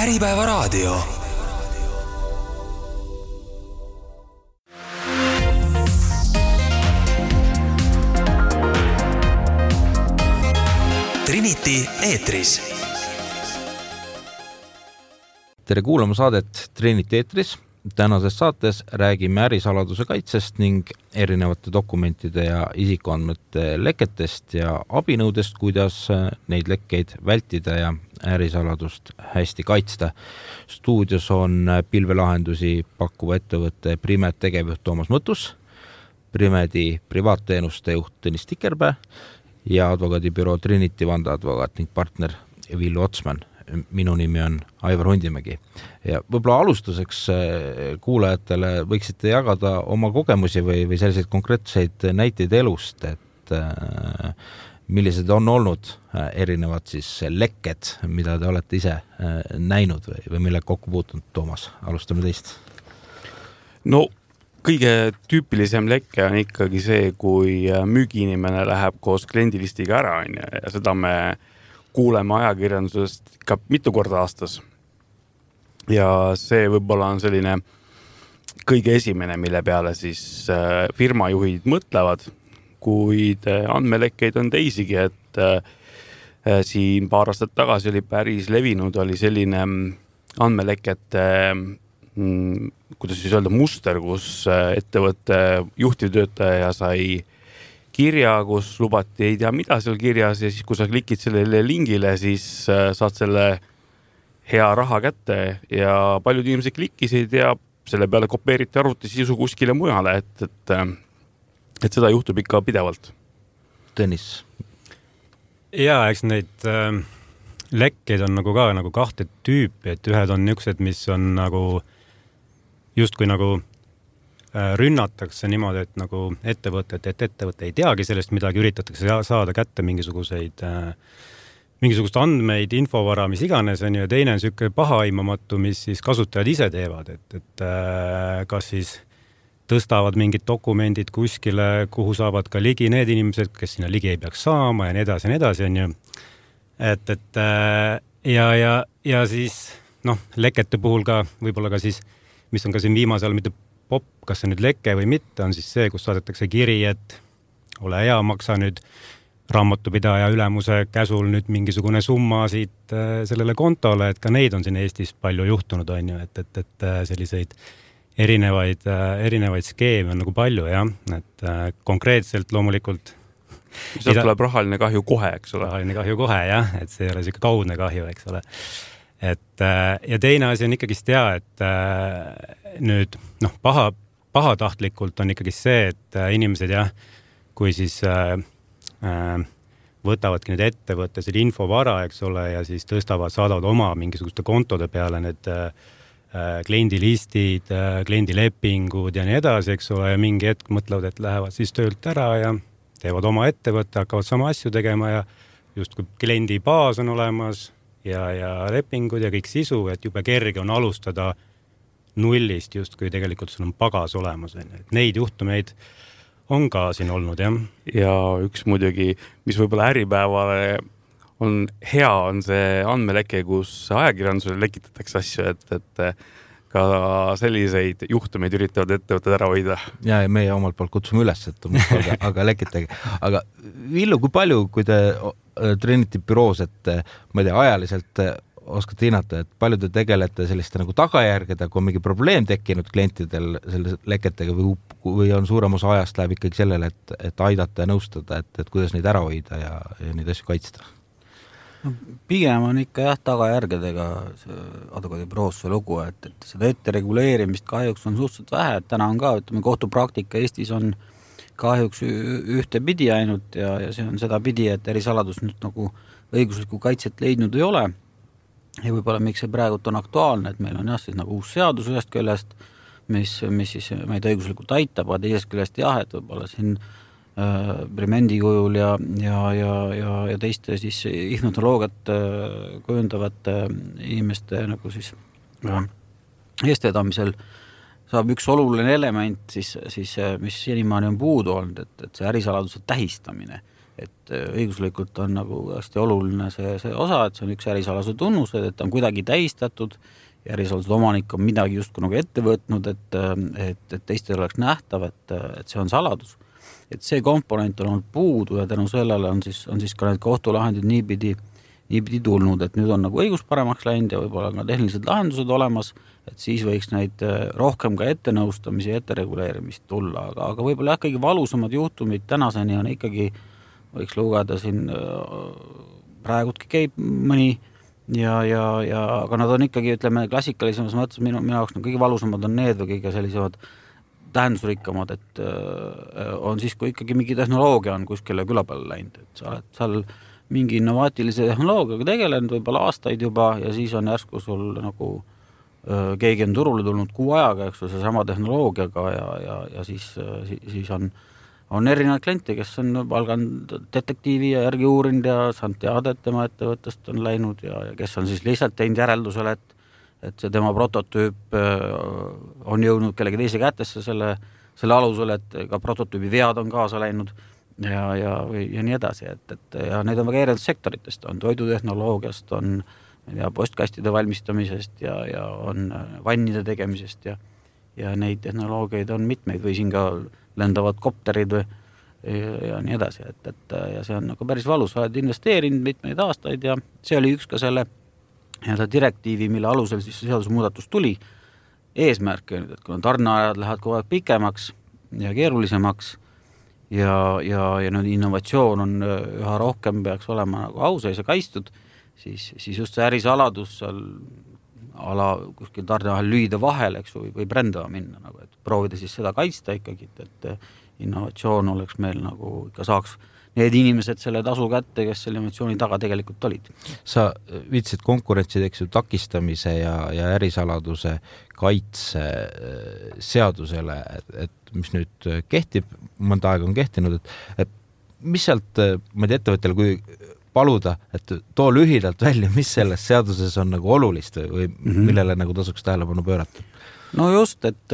Äripäevaraadio. Trinity eetris. Tere kuulama saadet Trinity eetris. Tänases saates räägime ärisaladuse kaitsest ning erinevate dokumentide ja isikuandmete leketest ja abinõudest, kuidas neid lekkeid vältida ja ärisaladust hästi kaitsta. Stuudios on pilvelahendusi pakkuva ettevõtte Primed tegevjuht Toomas Mõttus, Primedi privaatteenuste juht Tõnis Tikerpää ja advokaadibüroo Trinity vandeadvokaat ning partner Villu Otsman. Minu nimi on Aivar Hundimägi. Ja võib-olla alustuseks kuulajatele võiksite jagada oma kogemusi või selliseid konkreetseid näiteid elust, et millised on olnud erinevad siis lekked, mida te olete ise näinud või mille kokku puutunud. Toomas, alustame teist. No, kõige tüüpilisem lekke on ikkagi see, kui müügiinimene läheb koos kliendilistiga ära ja seda me kuuleme ajakirjandusest ikka mitu korda aastas. Ja see võib-olla on selline kõige esimene, mille peale siis firmajuhid mõtlevad, kuid andmelekkeid on teisigi, et siin paar aastat tagasi oli päris levinud, oli selline andmelekete, kuidas siis öelda, muster, kus ettevõtte juhtivtöötaja sai kirja, kus lubati ei tea mida seal kirjas ja siis kui sa klikid sellele lingile, siis saad selle hea raha kätte ja paljud inimesed klikkisid ja selle peale kopeeriti arvutisisu kuskile mujale, et seda juhtub ikka pidevalt. Tõnis. Ja, eks neid lekkeid on nagu ka nagu kahte tüüpi, et ühed on niisugused, mis on nagu justkui nagu rünnatakse niimoodi, et nagu ettevõte ei teagi sellest midagi, üritatakse saada kätte mingisugust andmeid, infovara, mis iganes on, ja teine on selline pahaimamatu, mis siis kasutajad ise teevad, et kas siis tõstavad mingid dokumendid kuskile, kuhu saavad ka ligi need inimesed, kes sinna ligi ei peaks saama ja nii edasi, on ju. Ja siis lekete puhul ka, võib-olla ka siis, mis on ka siin viimasel mitte pop, kas see nüüd leke või mitte, on siis see, kus saadetakse kiri, et ole hea, maksa nüüd raamatupidaja ülemuse käsul nüüd mingisugune summa siit sellele kontole, et ka neid on siin Eestis palju juhtunud, on ju, et selliseid erinevaid skeeme on nagu palju, jah, et konkreetselt loomulikult sealt tuleb rahaline kahju kohe, eks ole? Rahaline kahju kohe, jah, et see ei ole selline kaudne kahju, eks ole. Ja teine asi on ikkagi hea, et nüüd pahatahtlikult on ikkagi see, et inimesed jah, kui siis võtavadki need ettevõtte selle infovara, eks ole, ja siis saadavad oma mingisuguste kontode peale need kliendilistid, kliendilepingud ja nii edasi, eks ole, ja mingi hetk mõtlevad, et lähevad siis töölt ära ja teevad oma ettevõtte, hakkavad sama asju tegema ja just kui kliendi baas on olemas ja lepingud ja kõik sisu, et jube kerge on alustada nullist, just kui tegelikult sul on pagas olemas. Et neid juhtumeid on ka siin olnud, jah. Ja üks muidugi, mis võib-olla Äripäevale on hea, on see andmeleke, kus ajakirjandusele lekitatakse asju, et ka selliseid juhtumeid üritavad ettevõtted ära hoida. Ja meie omalt poolt kutsume üles, aga lekitage. Aga Villu, kui palju, kui te Trinity büroos, et ma ei tea, ajaliselt oskate hinnata, et palju te tegelete selliste nagu tagajärgede, kui on mingi probleem tekkinud klientidel selle leketega või on suurem osa ajast läheb ikkagi sellele, et aidata ja nõustada, et kuidas neid ära hoida ja neid asju kaitsta? Pigem on ikka jah tagajärgedega advokaadibüroos see lugu, et seda ettereguleerimist kahjuks on suhteliselt vähe, et täna on ka, ütleme, kohtupraktika Eestis on kahjuks ühte pidi ainult ja see on seda pidi, et ärisaladus nüüd nagu õiguslikku kaitset leidnud ei ole. Ja võib-olla miks see praegult on aktuaalne, et meil on jah siis nagu uus seadus ühest küljest, mis siis meid õiguslikult aitab, aga teisest küljest jah, et võib-olla siin Primendi kujul ja teiste siis infotoloogiat kujundavate inimeste nagu siis eestvedamisel saab üks oluline element siis mis senimaani on puudu olnud, et see ärisaladuse tähistamine. et õiguslikult on nagu hästi oluline see osa, et see on üks ärisaladuse tunnused, et on kuidagi tähistatud ja ärisaladuse omanik on midagi justkui nagu ette võtnud, et teistel oleks nähtav, et see on saladus. Et see komponent on olnud puudu ja tänu sellele on siis ka need kohtulahendid niipidi tulnud, et nüüd on nagu õigus paremaks läinud ja võib-olla ka tehnilised lahendused olemas, et siis võiks neid rohkem ka ettenõustamisi ja ettereguleerimist tulla, aga võib-olla kõige valusamad juhtumid tänaseni on ikkagi, võiks lugeda siin praegudki käib mõni aga nad on ikkagi, ütleme, klassikalisemas mõttes minu jaoks kõige valusamad on need või kõige sellisemad tähendusrikkamad, et on siis, kui ikkagi mingi tehnoloogia on kuskile küla peale läinud, et sa oled seal mingi innovaatilise tehnoloogiaga tegelenud võib-olla aastaid juba ja siis on järsku sul nagu keegi on turule tulnud kuu ajaga, eks see sama tehnoloogiaga ja siis on erinevad kliente, kes on palganud detektiivi ja järgi uurinud ja saanud teada, et tema ettevõttest on läinud ja kes on siis lihtsalt teinud järeldusele, et see tema prototüüp on jõudnud kellegi teise kätesse selle alusel, et ka prototüübi vead on kaasa läinud ja nii edasi, ja need on väga erinevad sektoritest, on toidutehnoloogiast, on postkastide valmistamisest ja on vannide tegemisest ja neid tehnoloogiaid on mitmeid või siin ka lendavad kopterid ja nii edasi, ja see on nagu päris valus, oled investeerinud mitmeid aastaid ja see oli üks ka selle direktiivi, mille alusel siis seadusmuudatus tuli, eesmärk, et kui tarneajad lähevad kogu aeg pikemaks ja keerulisemaks ja nüüd innovatsioon on üha rohkem peaks olema nagu auseis ja kaistud, siis just see ärisaladus seal kuskil tarneahel lüüda vahel, eks või brändama minna, nagu, et proovida siis seda kaitsta ikkagi, et innovatsioon oleks meil nagu ikka saaks need inimesed selle tasu kätte, kes selle innovatsiooni taga tegelikult olid. Sa viitsid konkurentsi takistamise ja ärisaladuse kaitse seadusele, et mis nüüd kehtib, mõnda aega on kehtinud, et mis sealt, ma ei tea, ettevõttel, kui paluda, et too lühidalt välja, mis selles seaduses on nagu olulist või millele nagu tasuks tähelepanu pöörata? No just, et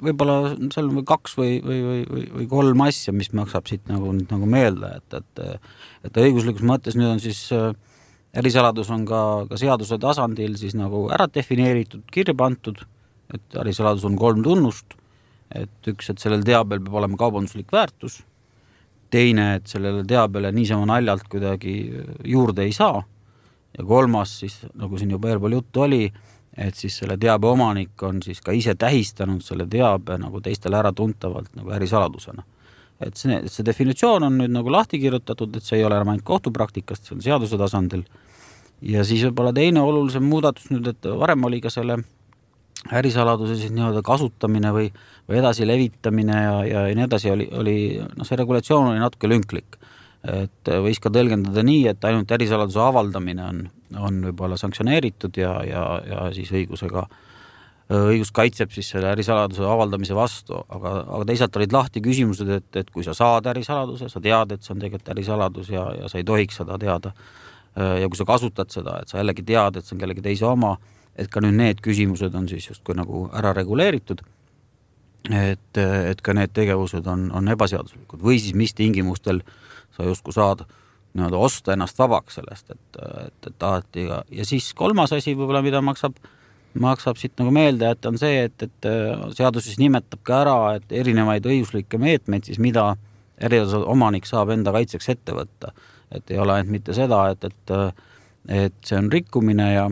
võib-olla seal on 2 või 3 asja, mis maksab siit nagu meelde, et õiguslikus mõttes nüüd on siis ärisaladus on ka seaduse tasandil siis nagu ära defineeritud, kirja pandud, et ärisaladus on 3 tunnust, et üks, et sellel teabel peab olema kaubanduslik väärtus, teine, et sellele teabele niisama naljalt kuidagi juurde ei saa ja 3, siis nagu siin juba eelpool juttu oli, et siis selle teabe omanik on siis ka ise tähistanud selle teabe nagu teistele ära tuntavalt nagu ärisaladusena. Et see definitsioon on nüüd nagu lahti kirjutatud, et see ei ole enam ainult kohtupraktikast, see on seaduse tasandil ja siis võib-olla teine olulisem muudatus nüüd, et varem oli ka selle ärisaladuse siis nii-öelda kasutamine või edasi levitamine ja nii edasi oli see regulatsioon oli natuke lünklik. Et võis ka tõlgendada nii, et ainult ärisaladuse avaldamine on võib-olla sanktsioneeritud ja siis õigus kaitseb siis selle ärisaladuse avaldamise vastu, aga teisalt olid lahti küsimused, et kui sa saad ärisaladuse, sa tead, et see on tegelikult ärisaladus ja sa ei tohiks seda teada. Ja kui sa kasutad seda, et sa jällegi tead, et see on kellegi teise oma, et ka nüüd need küsimused on siis justkui nagu ära reguleeritud, et ka need tegevused on ebaseaduslikud või siis mis tingimustel sa justkui saad nii-öelda osta ennast vabaks sellest, et tahati ja siis 3 asi võib-olla, mida maksab siit nagu meelde, et on see, et seadus siis nimetab ka ära, et erinevaid õiguslikke meetmeid siis mida erinevad omanik saab enda kaitseks ette võtta, et ei ole ainult mitte seda, et see on rikkumine ja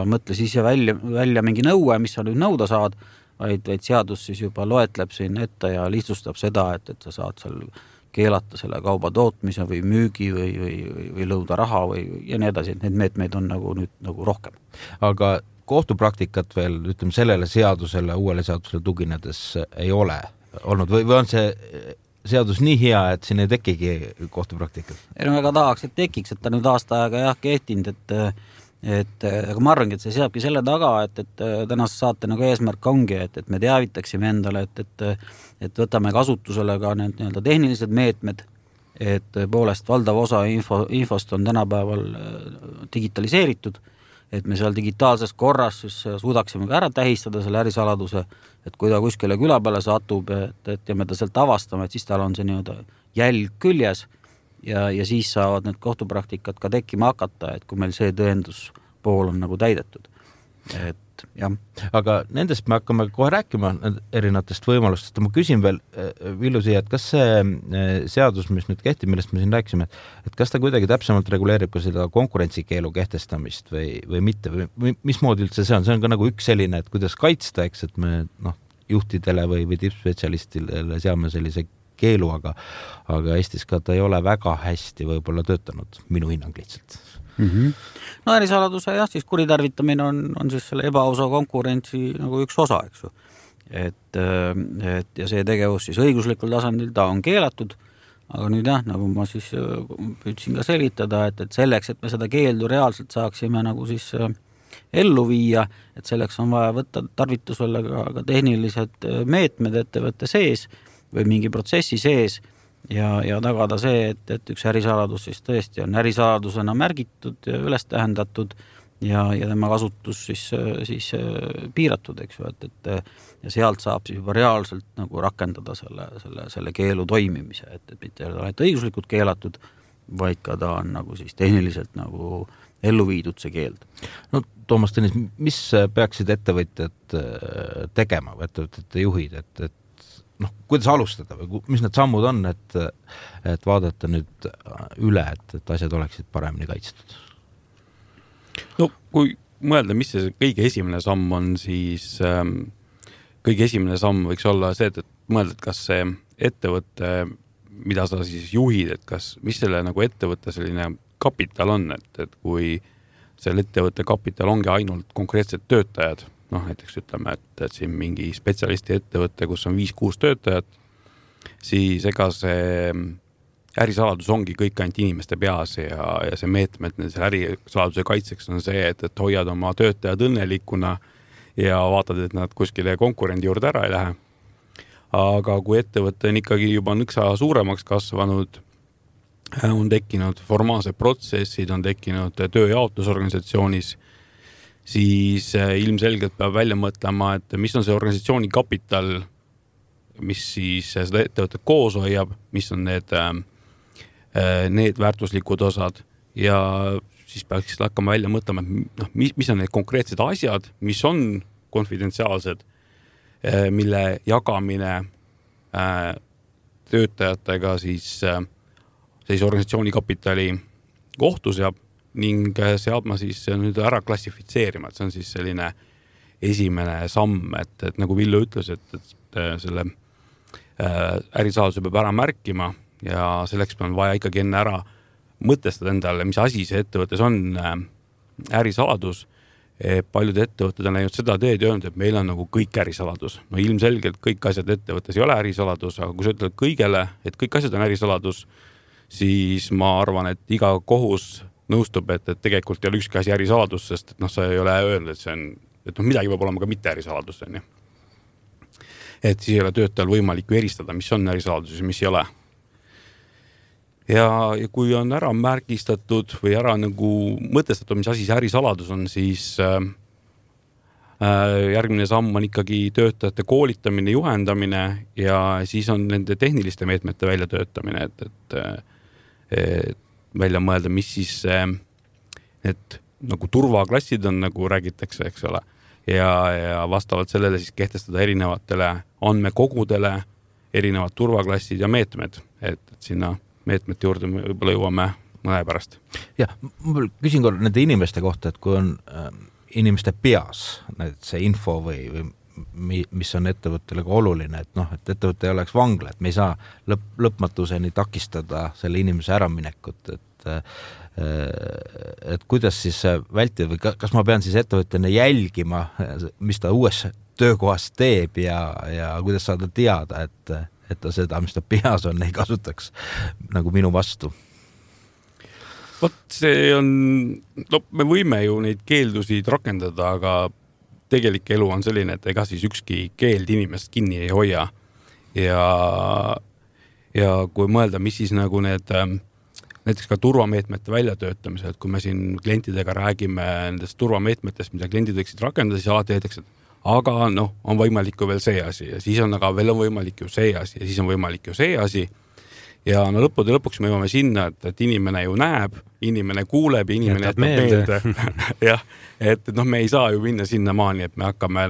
mõtle siis välja mingi nõue, mis sa nüüd nõuda saad, vaid seadus siis juba loetleb siin ette ja lihtsustab seda, et sa saad seal keelata selle kauba tootmise või müügi või lõuda raha ja nii edasi, et need meetmeid on nüüd nagu rohkem. Aga kohtupraktikat veel, ütleme, sellele seadusele, uuele seadusele tuginedes ei ole olnud või on see seadus nii hea, et siin ei tekigi kohtupraktikat? Ei, väga tahaks, et tekiks, et ta nüüd aasta aega kehtinud, aga ma arvangi, et see seabki selle taga, et tänase saate nagu eesmärk ongi, et me teavitaksime endale, et võtame kasutusele ka need nii-öelda tehnilised meetmed, et poolest valdav osa infost on tänapäeval digitaliseeritud, et me seal digitaalses korras siis suudaksime ka ära tähistada selle ärisaladuse, et kui ta kuskile küla peale satub, ja me ta sealt avastame, et siis tal on see nii-öelda jälg küljes ja siis saavad need kohtupraktikad ka tekkima hakata, et kui meil see tõenduspool on nagu täidetud. Et jah. Aga nendest me hakkame kohe rääkima erinevatest võimalustest. Ma küsin veel, Villu siia, et kas see seadus, mis nüüd kehtib, millest me siin rääkisime, et kas ta kuidagi täpsemalt reguleerib ka seda konkurentsikeelu kehtestamist või mitte? Või mismoodi üldse see on? See on ka nagu üks selline, et kuidas kaitsta, eks, et me juhtidele või tippspetsialistile seame sellise keelu, aga Eestis ka ta ei ole väga hästi võib-olla töötanud, minu hinnang lihtsalt. No ärisaladuse jah, siis kuritarvitamine on siis selle ebaausa konkurentsi nagu üks osa, eks ju. Et ja see tegevus siis õiguslikul tasandil ta on keelatud, aga nüüd jah, nagu ma siis püüdsin ka selitada, et selleks, et me seda keeldu reaalselt saaksime nagu siis ellu viia, et selleks on vaja võtta tarvitusele ka tehnilised meetmed ettevõtte sees või mingi protsessi sees ja tagada see, et üks ärisaladus siis tõesti on ärisaladusena märgitud ja üles tähendatud ja tema kasutus siis piiratud, eks ju, ja sealt saab siis juba reaalselt nagu rakendada selle keelu toimimise, et mitte ainult õiguslikult keelatud, vaid ka ta on nagu siis tehniliselt nagu ellu viidud see keeld. No Toomas Tõnis, mis peaksid ettevõtjad tegema, ettevõtjate juhid, et kuidas alustada või mis need sammud on, et vaadata nüüd üle, et asjad oleksid paremini kaitstud? No kui mõelda, mis see kõige esimene samm on, siis kõige esimene samm võiks olla see, et mõelda, et kas see ettevõte, mida sa siis juhid, et mis selle nagu ettevõtte selline kapital on, et kui selle ettevõtte kapital ongi ainult konkreetsed töötajad, näiteks ütleme, et siin mingi spetsialisti ettevõte, kus on 5-6 töötajat, siis ega see ärisaladus ongi kõik ainult inimeste peas ja see meetmed selle ärisaladuse kaitseks on see, et hoiad oma töötajad õnnelikuna ja vaatad, et nad kuskile konkurendi juurde ära ei lähe. Aga kui ettevõte on ikkagi juba nõksa suuremaks kasvanud, on tekkinud formaalsed protsessid, on tekkinud tööjaotusorganisatsioonis, siis ilmselgelt peab välja mõtlema, et mis on see organisatsiooni kapital, mis siis seda ettevõtet koos hoiab, mis on need väärtuslikud osad ja siis peaks hakkama välja mõtlema, mis on need konkreetsed asjad, mis on konfidentsiaalsed, mille jagamine töötajatega siis organisatsiooni kapitali kohtu seab ning seadma siis nüüd ära klassifitseerima, et see on siis selline esimene samm, et nagu Villu ütles, et selle ärisaladuse peab ära märkima ja selleks on vaja ikkagi enne ära mõtestada endale, mis asi see ettevõttes on ärisaladus. Paljud ettevõtted on läinud seda teed ja öelnud, et meil on nagu kõik ärisaladus. No ilmselgelt kõik asjad ettevõttes ei ole ärisaladus, aga kui sa ütled kõigele, et kõik asjad on ärisaladus, siis ma arvan, et iga kohus nõustub, et tegelikult ei ole ükski asi ärisaladus, sest sa ei ole öelnud, et see on, et midagi peab olema ka mitte ärisaladus. Et siis ei ole töötajal võimalik eristada, mis on ärisaladus ja mis ei ole. Ja kui on ära märgistatud või ära nagu mõtestatud, mis asi see ärisaladus on, siis järgmine samm on ikkagi töötajate koolitamine, juhendamine ja siis on nende tehniliste meetmete väljatöötamine, et välja mõelda, mis siis need nagu turvaklassid on, nagu räägitakse, eks ole, ja vastavalt sellele siis kehtestada erinevatele andmekogudele erinevad turvaklassid ja meetmed, et sinna meetmete juurde võib-olla jõuame mõne pärast. Jah, ma küsin korra nende inimeste kohta, et kui on inimeste peas see info või mis on ettevõttele ka oluline, et ettevõte ei oleks vangla, et me ei saa lõpmatuseni takistada selle inimese äraminekut, et kuidas siis vältida või kas ma pean siis ettevõttena jälgima, mis ta uues töökohas teeb ja kuidas saada teada, et ta seda, mis ta peas on, ei kasutaks nagu minu vastu? See on, me võime ju neid keeldusid rakendada, aga tegelik elu on selline, et ega siis ükski keeld inimest kinni ei hoia ja kui mõelda, mis siis nagu need näiteks ka turvameetmete väljatöötamisel, et kui me siin klientidega räägime nendest turvameetmetest, mida kliendid võiksid rakendada, siis alati öeldakse, et aga on võimalik ju veel see asi ja siis on aga veel on võimalik ju see asi ja siis on võimalik ju see asi. Ja lõppude lõpuks me jõuame sinna, et inimene ju näeb, inimene kuuleb ja inimene jätab meelde. Jah, et me ei saa ju minna sinna maani, et me hakkame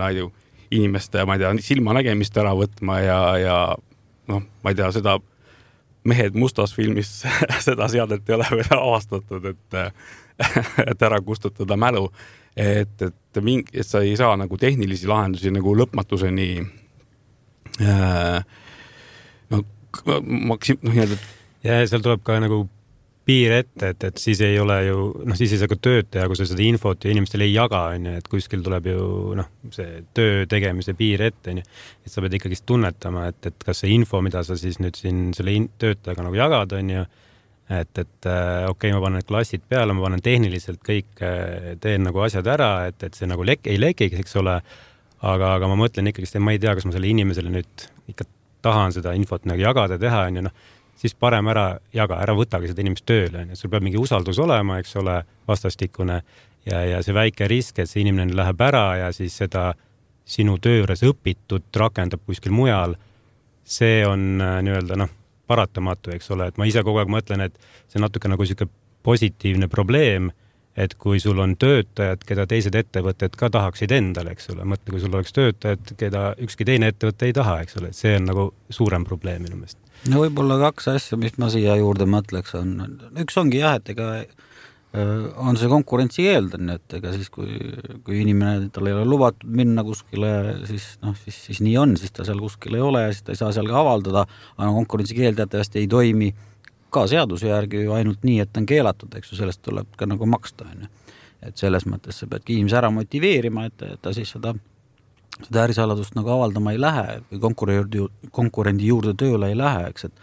inimeste, ma ei tea, silmanägemist ära võtma ja ma ei tea, seda Mehed mustas filmis seda seadet ei ole veel avastatud, et ära kustutada mälu, et sa ei saa nagu tehnilisi lahendusi nagu lõpmatuseni ja seal tuleb ka nagu piir ette, et siis ei ole ju, siis ei saa ka tööd teha, kui sa seda infot ja inimestele ei jaga, et kuskil tuleb ju see töö tegemise piir ette, et sa pead ikkagi tunnetama, et kas see info, mida sa siis nüüd siin selle töötajaga nagu jagad, et okei, ma panen need klassid peale, ma panen tehniliselt kõik, teen nagu asjad ära, et see nagu ei lekiks, eks ole, aga ma mõtlen ikkagi, et ma ei tea, kas ma selle inimesele nüüd ikka tahan seda infot nagu jagada, teha, siis parem ära jaga, ära võtagi seda inimest tööle. Sul peab mingi usaldus olema, eks ole, vastastikune ja see väike risk, et see inimene läheb ära ja siis seda sinu tööres õpitud rakendab kuskil mujal, see on nii-öelda paratamatu, eks ole. Et ma ise kogu aeg mõtlen, et see on natuke nagu selline positiivne probleem, et kui sul on töötajad, keda teised ettevõtted ka tahaksid endale, eks ole. Mõtle, kui sul oleks töötajad, keda ükski teine ettevõte ei taha, eks ole. See on nagu suurem probleem minu meelest. No võib-olla kaks asja, mis ma siia juurde mõtleks on. Üks ongi jah, et ega on see konkurentsi keeldan, et ega siis kui inimene, tal ei ole lubatud minna kuskile, siis nii on, siis ta seal kuskil ei ole ja siis ta ei saa seal ka avaldada, aga konkurentsi keeldajatavasti ei toimi ka seaduse järgi ju ainult nii, et on keelatud, eks ju, sellest tuleb ka nagu maksta. Et selles mõttes sa peadki inimese ära motiveerima, et ta siis seda ärisaladust nagu avaldama ei lähe või konkurendi juurde tööle ei lähe, eks, et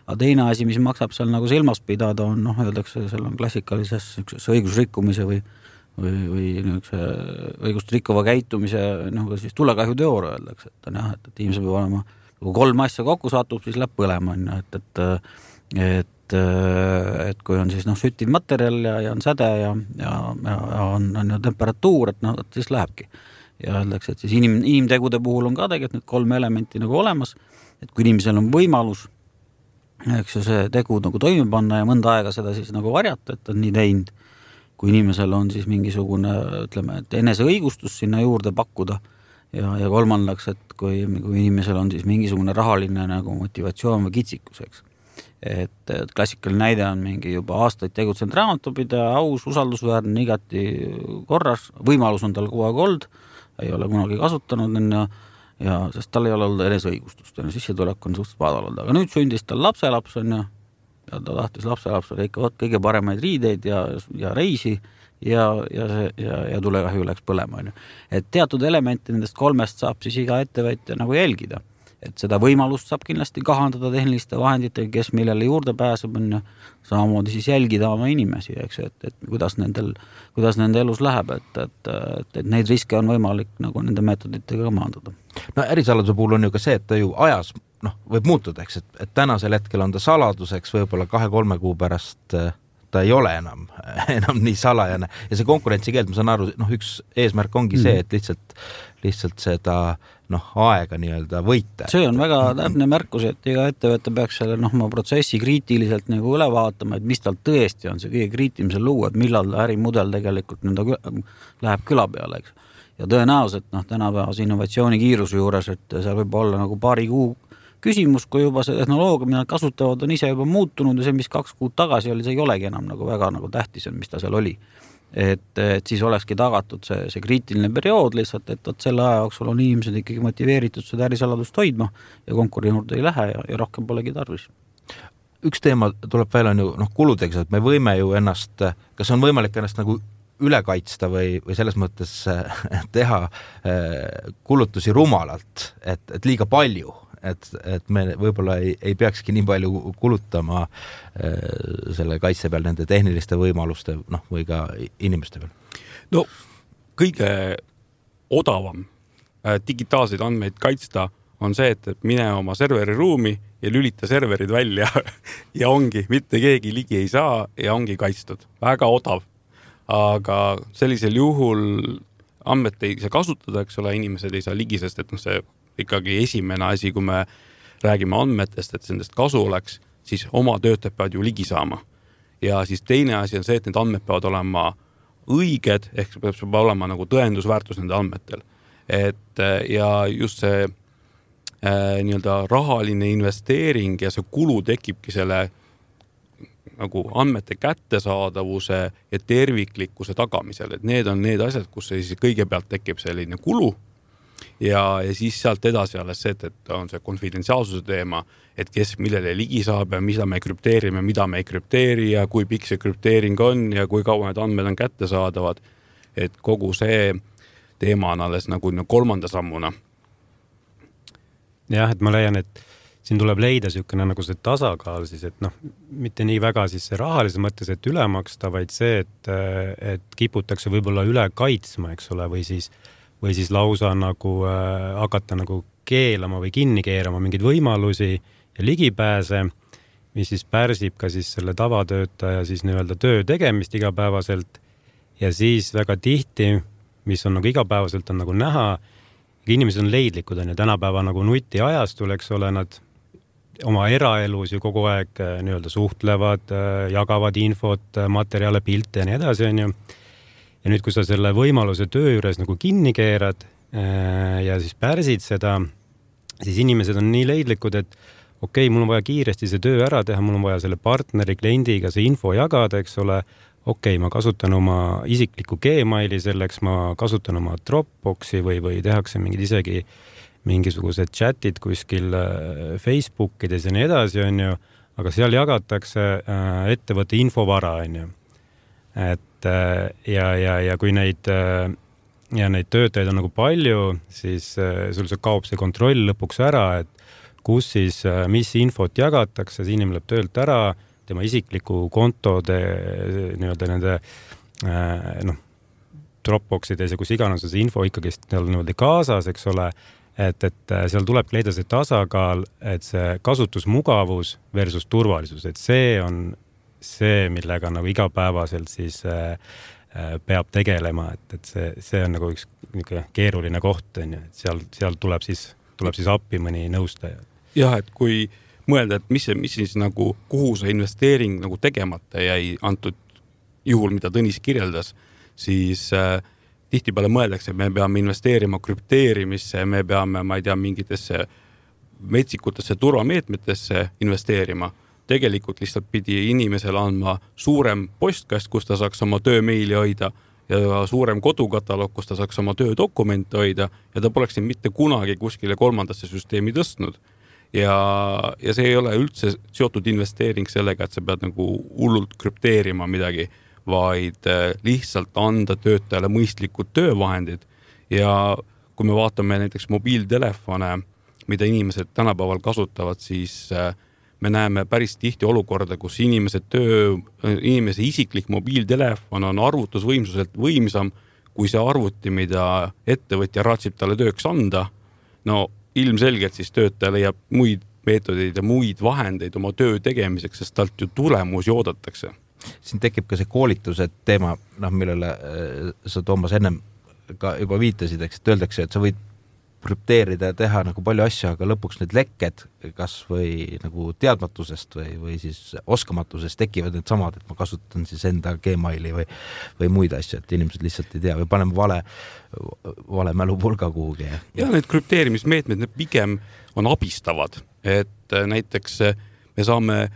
aga teine asi, mis maksab seal nagu silmas pidada on, öeldakse, seal on klassikalises õigusrikkumise või õigust rikkuva käitumise, siis tulekahju teooria öeldakse, et on jah, et inimese peab olema, kui 3 asja kokku satub, siis läheb põlema, et kui on siis süttiv materjal ja on säde ja on temperatuur, et siis lähebki. Ja öeldakse, et siis inimtegude puhul on ka tegelikult need 3 elementi nagu olemas, et kui inimesel on võimalus, eks ju, see tegu nagu toime panna ja mõnda aega seda siis nagu varjata, et on nii teinud, kui inimesel on siis mingisugune, ütleme, et eneseõigustus sinna juurde pakkuda ja kolmandaks, et kui inimesel on siis mingisugune rahaline nagu motivatsioon või kitsikus, eks. Et klassikaline näide on mingi juba aastaid tegutsenud raamatupidaja, aus, usaldusväärne, igati korras, võimalus on tal kogu aeg olnud, ei ole kunagi kasutanud ja sest tal ei ole olnud eneseõigustust, sissetulek on suhteliselt madal olnud, aga nüüd sündis tal lapselaps ja ta tahtis lapselapsele ikka kõige paremaid riideid ja reisi ja tulekahju läks põlema. Et teatud elemente nendest 3 saab siis iga ettevõtja nagu jälgida. Et seda võimalust saab kindlasti kahandada tehniliste vahenditega, kes millele juurde pääseb, on samamoodi siis jälgida oma inimesi, eks, et kuidas nende elus läheb, et neid riske on võimalik nagu nende meetoditega maandada. No ärisaladuse puhul on ju ka see, et ta ju ajas võib muutuda, eks, et tänasel hetkel on ta saladuseks, võib-olla 2-3 kuu pärast ta ei ole enam nii salajane ja see konkurentsikeeld, ma saan aru, üks eesmärk ongi see, et lihtsalt seda aega nii-öelda võita. See on väga täpne märkus, et iga ettevõte peaks selle oma protsessi kriitiliselt nagu üle vaatama, et mis tal tõesti on see kõige kriitilisem luua, et millal ärimudel tegelikult läheb küla peale, eks. Ja tõenäoliselt tänapäevas innovatsiooni kiiruse juures, et seal võib olla nagu paari kuu küsimus, kui juba see tehnoloogia, mida nad kasutavad, on ise juba muutunud ja see, mis 2 kuud tagasi oli, see ei olegi enam nagu väga nagu tähtis, mis ta seal oli. Et siis olekski tagatud see kriitiline periood lihtsalt, et selle aja jooksul on inimesed ikkagi motiveeritud seda ärisaladust hoidma ja konkurentsi juurde ei lähe ja rohkem polegi tarvis. Üks teema tuleb välja on ju kuludeks, et me võime ju ennast, kas on võimalik ennast nagu üle kaitsta või selles mõttes teha kulutusi rumalalt, et liiga palju, et me võib-olla ei peakski nii palju kulutama selle kaitse peal nende tehniliste võimaluste või ka inimeste peal. No kõige odavam digitaalseid andmeid kaitsta on see, et mine oma serveri ruumi ja lülita serverid välja ja ongi, mitte keegi ligi ei saa ja ongi kaitstud. Väga odav. Aga sellisel juhul andmed ei saa kasutada, eks ole, inimesed ei saa ligi, sest et see ikkagi esimene asi, kui me räägime andmetest, et nendest kasu oleks, siis oma töötajad peavad ju ligi saama. Ja siis teine asi on see, et need andmed peavad olema õiged, ehk peab olema nagu tõendusväärtus nende andmetel. Ja just see nii-öelda rahaline investeering ja see kulu tekibki selle nagu andmete kättesaadavuse ja terviklikkuse tagamisel. Et need on need asjad, kus siis kõigepealt tekib selline kulu ja siis sealt edasi alles see, et on see konfidentsiaalsuse teema, et kes millele ligi saab ja mida me ei krüpteeri ja kui pikk see krüpteering on ja kui kaua need andmed on kättesaadavad. Et kogu see teema on alles nagu kolmanda sammuna. Jah, et ma leian, et siin tuleb leida niisugune nagu see tasakaal siis, et mitte nii väga siis see rahalise mõttes, et üle maksta, vaid see, et kiputakse võib-olla üle kaitsma, eks ole, või siis lausa nagu hakata nagu keelama või kinni keerama mingeid võimalusi ja ligipääse, mis siis pärsib ka siis selle tavatöötaja siis nii-öelda töö tegemist igapäevaselt ja siis väga tihti, mis on nagu igapäevaselt on nagu näha, inimesed on leidlikud, on ju tänapäeva nagu nutiajastul, eks ole, nad oma eraelus ju kogu aeg nii-öelda suhtlevad, jagavad infot, materjale, pilte ja nii edasi, on ju. Ja nüüd, kui sa selle võimaluse töö juures nagu kinni keerad ja siis pärsid seda, siis inimesed on nii leidlikud, et okei, mul on vaja kiiresti see töö ära teha, mul on vaja selle partneri, kliendiga see info jagada, eks ole, okei, ma kasutan oma isiklikku Gmaili selleks, ma kasutan oma Dropboxi või tehakse isegi mingisugused chatid kuskil Facebookides ja nii edasi, on ju, aga seal jagatakse ettevõtte infovara, on ju. Et ja kui neid töötajaid on nagu palju, siis sul kaob see kontroll lõpuks ära, et kus siis, mis infot jagatakse, see inimene läheb töölt ära, tema isikliku kontode nii-öelda nende Dropboxides ja kus iganes see info ikkagi niimoodi kaasas, eks ole, et seal tuleb leida see tasakaal, et see kasutusmugavus versus turvalisus, et see on see, millega nagu igapäevaselt siis peab tegelema, et see on nagu üks keeruline koht, et seal tuleb siis appi mõni nõustaja. Jah, et kui mõelda, et mis siis nagu, kuhu see investeering nagu tegemata jäi antud juhul, mida Tõnis kirjeldas, siis tihtipeale mõeldakse, et me peame investeerima krüpteerimisse, me peame, ma ei tea, mingitesse metsikutesse turvameetmetesse investeerima. Tegelikult lihtsalt pidi inimesele andma suurem postkast, kus ta saaks oma töömeili hoida ja suurem kodukataloog, kus ta saaks oma töödokumente hoida ja ta poleks mitte kunagi kuskile kolmandasse süsteemi tõstnud. Ja see ei ole üldse seotud investeering sellega, et sa pead nagu hullult krüpteerima midagi, vaid lihtsalt anda töötajale mõistlikud töövahendid. Ja kui me vaatame näiteks mobiiltelefone, mida inimesed tänapäeval kasutavad, siis me näeme päris tihti olukorda, kus inimese isiklik mobiiltelefon on arvutusvõimsuselt võimsam kui see arvuti, mida ettevõtja raatsib talle tööks anda. No ilmselgelt siis töötaja leiab muid meetodeid ja muid vahendeid oma töö tegemiseks, sest talt ju tulemusi oodatakse. Siin tekib ka see koolituse teema, millele sa Toomas ennem ka juba viitasid, et öeldakse, et sa võid krüpteerida ja teha nagu palju asju, aga lõpuks need lekked kas või nagu teadmatusest või siis oskamatusest tekivad need samad, et ma kasutan siis enda Gmaili või muid asju, et inimesed lihtsalt ei tea või paneme vale mälupulga kuhugi. Ja need krüpteerimismeetmed need pigem on abistavad, et näiteks me saame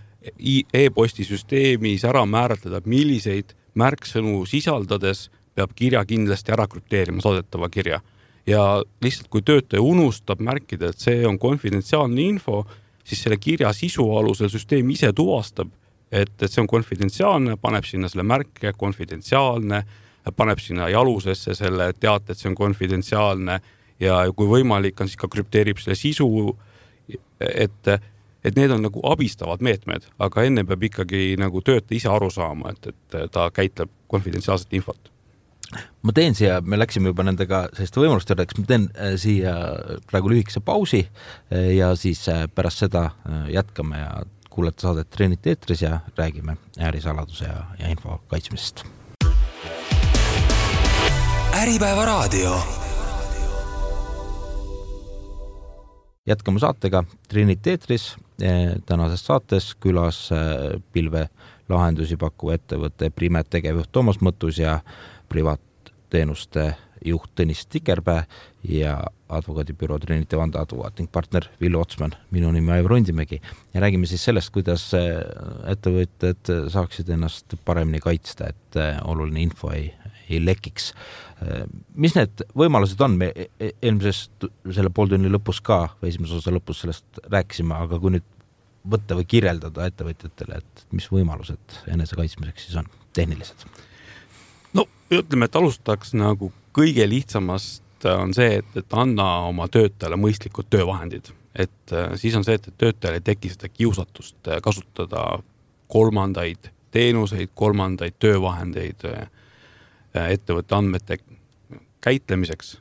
e-posti süsteemis ära määratleda, milliseid märksõnu sisaldades peab kirja kindlasti ära krüpteerima saadetava kirja. Ja lihtsalt kui töötaja unustab märkida, et see on konfidentsiaalne info, siis selle kirja sisu alusel süsteem ise tuvastab, et see on konfidentsiaalne, paneb sinna selle märke konfidentsiaalne, paneb sinna jalusesse selle teate, et see on konfidentsiaalne ja kui võimalik on, siis ka krüpteerib selle sisu, et need on nagu abistavad meetmed, aga enne peab ikkagi nagu töötaja ise aru saama, et ta käitleb konfidentsiaalset infot. ma teen siia, me läksime juba nendega selliste võimaluste juurde, ma teen siia praegu lühikese pausi ja siis pärast seda jätkame ja kuulete saadet Treeniti eetris ja räägime ärisaladuse ja info kaitsmisest. Äripäeva raadio. Jätkame saatega Treeniti eetris. Tänases saates külas pilvelahendusi pakkuva ettevõtte Primet tegevjuht Toomas Mõttus ja privaatteenuste juht Tõnis Tikerpää ja advokaadibüroo Treeniti Vanda advokaat ning partner Villu Otsman. Minu nimi Aivar Rundimägi ja räägime siis sellest, kuidas ettevõtted saaksid ennast paremini kaitsta, et oluline info ei lekiks. Mis need võimalused on? Me eelmises selle pooltunni lõpus ka, või esimese osa lõpus sellest rääkisime, aga kui nüüd võtta või kirjeldada ettevõtjatele, et mis võimalused enese kaitsmiseks siis on tehnilised? No ütleme, et alustaks nagu kõige lihtsamast on see, et anna oma töötajale mõistlikud töövahendid. Et siis on see, et töötajale ei teki seda kiusatust kasutada kolmandaid teenuseid, kolmandaid töövahendeid ettevõtte andmete käitlemiseks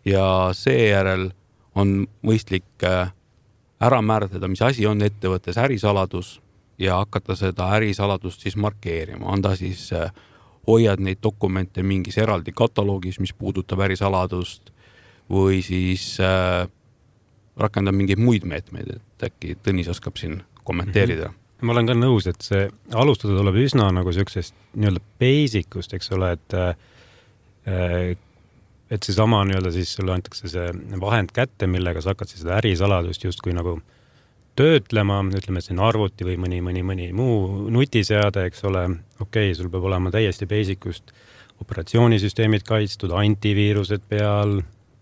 ja seejärel on mõistlik ära määratleda, mis asi on ettevõttes ärisaladus ja hakata seda ärisaladust siis markeerima. Anda siis hoiad neid dokumente mingis eraldi kataloogis, mis puudutab ärisaladust või siis rakendab mingeid muid meetmeid, et äkki Tõnis oskab siin kommenteerida. Ma olen ka nõus, et see alustada tuleb üsna nagu sellisest nii-öelda basicust, eks ole, et see sama nii-öelda siis sulle antakse see vahend kätte, millega sa hakkad siis seda ärisaladust justkui nagu töötlema, ütleme, et see on arvuti või mõni muu nutiseade, eks ole, okei, sul peab olema täiesti basicust operatsioonisüsteemid kaitstud, antiviirused peal,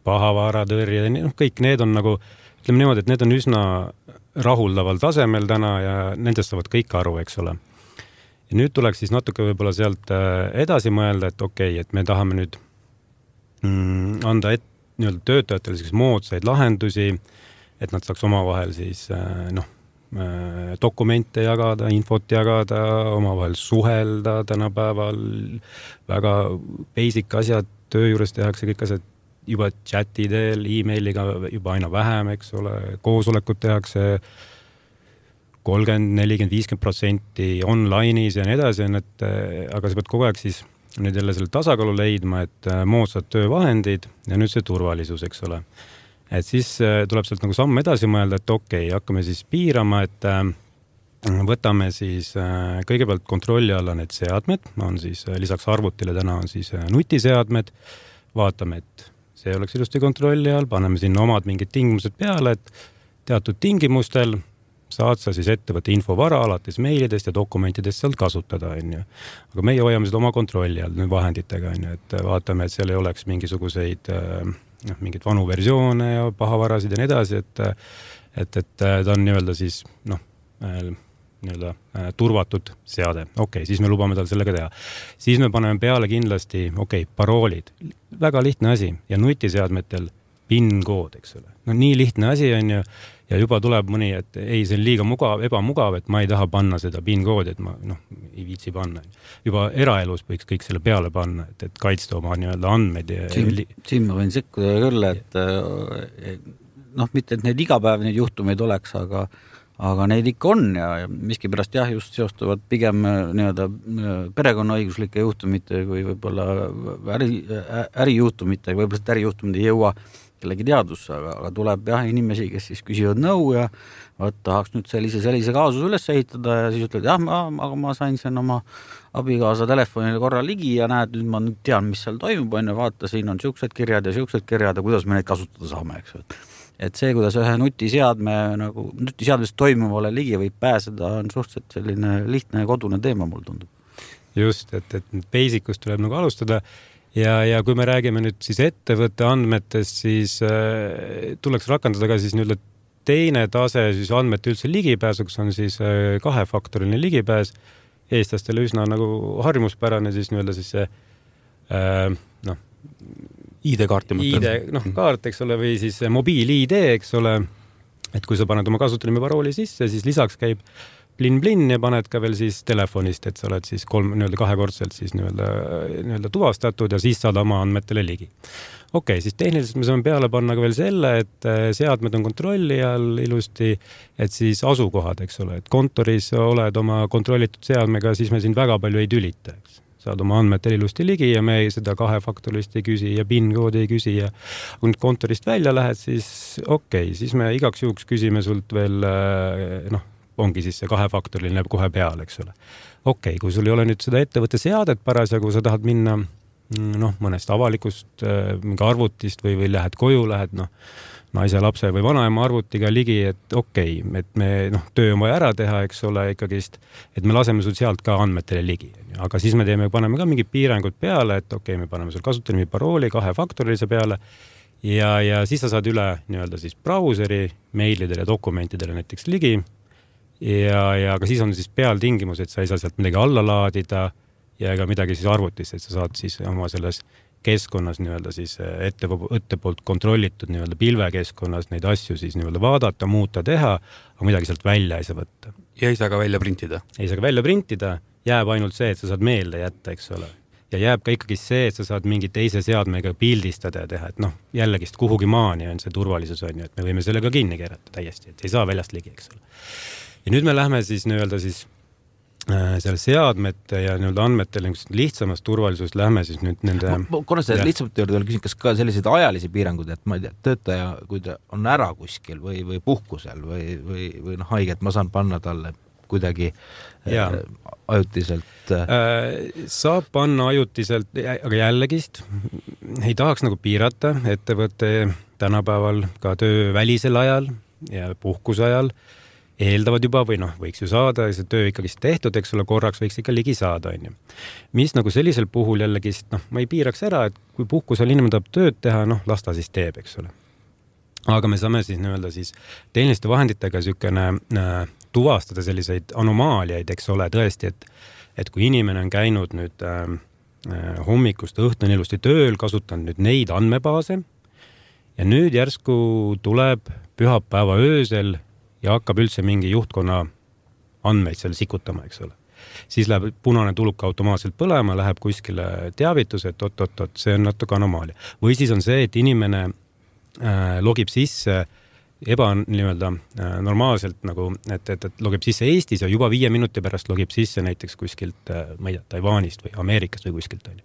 pahavaaratõrje, kõik need on nagu, ütleme niimoodi, et need on üsna rahuldaval tasemel täna ja nendest saavad kõik aru, eks ole. Ja nüüd tuleks siis natuke võib-olla sealt edasi mõelda, et okei, et me tahame nüüd anda nii-öelda töötajatele selliseid moodsaid lahendusi, et nad saaks omavahel siis dokumente jagada, infot jagada, omavahel suhelda tänapäeval, väga basic asjad, töö juures tehakse kõik asjad juba chati teel, e-mailiga juba aina vähem, eks ole, koosolekud tehakse 30, 40, 50% online'is ja nii edasi, aga sa pead kogu aeg siis nüüd jälle selle tasakaalu leidma, et moodsad töövahendid ja nüüd see turvalisus, eks ole. Et siis tuleb sealt nagu samm edasi mõelda, et okei, hakkame siis piirama, et võtame siis kõigepealt kontrolli alla need seadmed, on siis lisaks arvutile täna on siis nutiseadmed, vaatame, et see oleks ilusti kontrolli all, paneme sinna omad mingid tingimused peale, et teatud tingimustel saad sa siis ettevõtte infovara alates meilidest ja dokumentidest sealt kasutada, on ju. Aga meie hoiame seda oma kontrolli all nüüd vahenditega, on ju, et vaatame, et seal ei oleks mingisuguseid mingid vanu versioone ja pahavarasid ja nii edasi, et ta on nii-öelda siis nii-öelda turvatud seade. Okei, siis me lubame tal sellega teha. Siis me paneme peale kindlasti, paroolid. Väga lihtne asi ja nutiseadmetel PIN-kood, eks ole. No nii lihtne asi on ju ja juba tuleb mõni, et ei, see on liiga ebamugav, et ma ei taha panna seda PIN-koodi, et ma ei viitsi panna. Juba eraelus võiks kõik selle peale panna, et kaitsta oma nii-öelda andmeid. Siin ma võin sekkuda küll, et mitte, et neid igapäev neid juhtumeid oleks, aga neid ikka on ja miskipärast just seostuvad pigem nii-öelda perekonnaõiguslike juhtumite või võib-olla ärijuhtumite, võib-olla ärijuhtumid ei jõua kellegi teadusse, aga tuleb inimesi, kes siis küsivad nõu ja tahaks nüüd sellise kaasus üles ehitada ja siis ütled, aga ma sain sen oma abikaasa telefonile korra ligi ja näed, nüüd ma tean, mis seal toimub, vaata, siin on siuksed kirjad ja kuidas me neid kasutada saame, eks. Et see, kuidas ühe nutiseadmest toimuvale ligi võib pääseda, on suhteliselt selline lihtne ja kodune teema, mul tundub. Just, et basicust tuleb nagu alustada ja kui me räägime nüüd siis ettevõtte andmetest, siis tuleks rakendada ka siis nüüd teine tase siis andmete üldse ligipääsuks on siis kahefaktoriline ligipääs. Eestlastele üsna nagu harjumuspärane siis nüüd siis see ID-kaarti mõtled. Kaart, eks ole, või siis mobiil-ID, eks ole, et kui sa paned oma kasutajanimi parooli sisse, siis lisaks käib plinn-plinn ja paned ka veel siis telefonist, et sa oled siis kahekordselt siis nii-öelda tuvastatud ja siis saad oma andmetele ligi. Okei, siis tehniliselt me saame peale panna ka veel selle, et seadmed on kontrolli all ilusti, et siis asukohad, eks ole, et kontoris oled oma kontrollitud seadmega, siis me sind väga palju ei tülita, eks. Saad oma andmetele ilusti ligi ja me seda kahefaktorist ei küsi ja PIN-koodi ei küsi ja kui nüüd kontorist välja lähed, siis siis me igaks juhuks küsime sult veel, ongi siis see kahefaktoriline kohe peal, eks ole. Kui sul ei ole nüüd seda ettevõtte seadet parasjagu, sa tahad minna mõnest avalikust mingi arvutist või lähed koju, lähed naise, lapse või vanaema arvutiga ligi, et et me töö on vaja ära teha, eks ole, ikkagist, et me laseme sul sealt ka andmetele ligi. Aga siis me paneme ka mingid piirangud peale, et me paneme sul kasutajanimi parooli kahefaktorilise peale ja siis sa saad üle nii-öelda siis brauseri, meilidele ja dokumentidele näiteks ligi ja ka siis on siis peal tingimus, et sa ei saa sealt midagi alla laadida ja ega midagi siis arvutist, et sa saad siis oma selles keskkonnas nii-öelda siis ette poolt kontrollitud nii-öelda pilvekeskkonnas neid asju siis nii-öelda vaadata, muuta, teha, aga midagi sealt välja ei saa võtta. Ja ei saa ka välja printida? Ei saa ka välja printida, jääb ainult see, et sa saad meelde jätta, eks ole. Ja jääb ka ikkagi see, et sa saad mingi teise seadmega pildistada ja teha, et jällegist kuhugi maani on see turvalisus on ju, et me võime selle ka kinni keerata täiesti, et ei saa väljast ligi, eks ole. Ja nüüd me lähme siis nii-öelda siis selle seadmete ja nii-öelda andmetel lihtsamast turvalisust lähme siis nüüd nende... Korra see lihtsamalt juurde küsin, kas ka selliseid ajalisi piirangud, et ma ei tea, töötaja, kui ta on ära kuskil või puhkusel või haige, et ma saan panna talle kuidagi ajutiselt... Saab panna ajutiselt, aga jällegist ei tahaks nagu piirata ettevõtte tänapäeval ka töö välisel ajal ja puhkuse ajal eeldavad juba või võiks ju saada, see töö ikkagi tehtud, eks ole, korraks võiks ikka ligi saada, on ju. Mis nagu sellisel puhul jällegist, ma ei piiraks ära, et kui puhkusel inimene tahab tööd teha, las ta siis teeb, eks ole. Aga me saame siis nii-öelda siis tehniliste vahenditega sükene tuvastada selliseid anomaaliaid, eks ole, tõesti, et kui inimene on käinud nüüd hommikust õhtuni ilusti tööl, kasutanud nüüd neid andmebaase ja nüüd järsku tuleb pühapäeva öösel ja hakkab üldse mingi juhtkonna andmeid seal sikutama, eks ole. Siis läheb punane tuluk automaatselt põlema, läheb kuskile teavitus, et oot, see on natuke anomaalia. Või siis on see, et inimene logib sisse nii-öelda normaalselt nagu, et logib sisse Eestis ja juba 5 minuti pärast logib sisse näiteks kuskilt, ma ei tea, Taiwanist või Ameerikast või kuskilt on.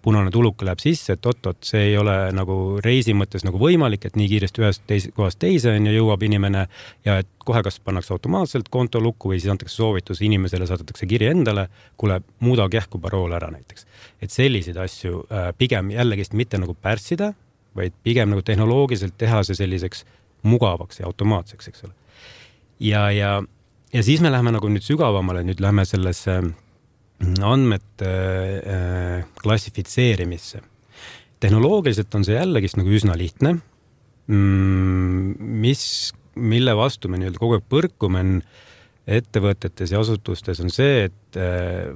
Punane tuluk läheb sisse, et oot, see ei ole nagu reisi mõttes nagu võimalik, et nii kiiresti ühest kohast teise on ja jõuab inimene ja et kohe kas pannakse automaatselt konto lukku või siis antakse soovitus inimesele, saadetakse kiri endale, kuule, muuda kähku parool ära näiteks. Et selliseid asju pigem jällegist mitte nagu pärssida, vaid pigem nagu tehnoloogiliselt teha see selliseks mugavaks ja automaatseks, eks ole. Ja siis me läheme nagu nüüd sügavamale, nüüd läheme sellesse andmete klassifitseerimisse. Tehnoloogiliselt on see jällegist nagu üsna lihtne, mille vastu me nüüd kogu aeg põrkume ettevõtetes ja asutustes on see, et